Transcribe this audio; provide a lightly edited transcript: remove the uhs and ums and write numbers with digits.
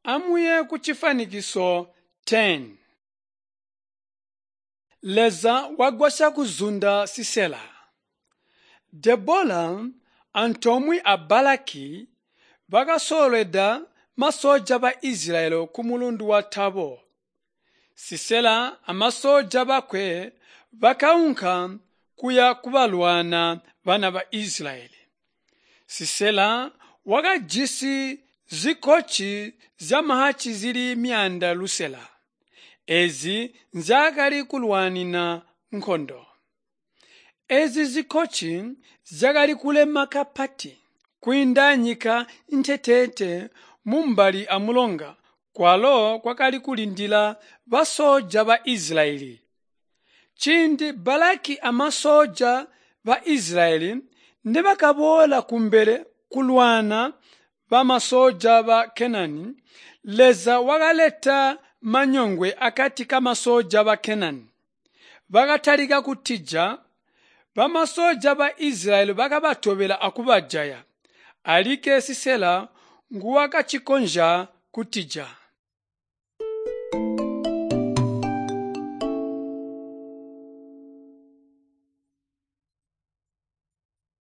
Amuye ku chifanikiso 10. Leza wagwasa kuzunda Sisera. Debola antomwi a Balaki bakasoleda masoja ba Israeli ku mulundu wa Tabo. Sisera amasoja bakwe bakaunka kuya kubalwana bana ba Israeli. Sisera wakajisi zikochi za mahachi zili mianda lusela. Ezi nzakali kulwanina nkhondo. Ezi zikochi zakali kulema kapati kuindanyika ntetete mumbali amulonga kwalo kwakali kulindila basoja ba Israeli. Chindi Balaki amasoja ba Israeli nebakabola kumbele kulwana ba masoja ba Kenani. Leza wakaleta manyongwe akati kamasoja ba Kenani bakatalika kutija. Bamasoja ba Israeli bakabatobela akubajaya. Alike Sisera nguwakachikonja kutija.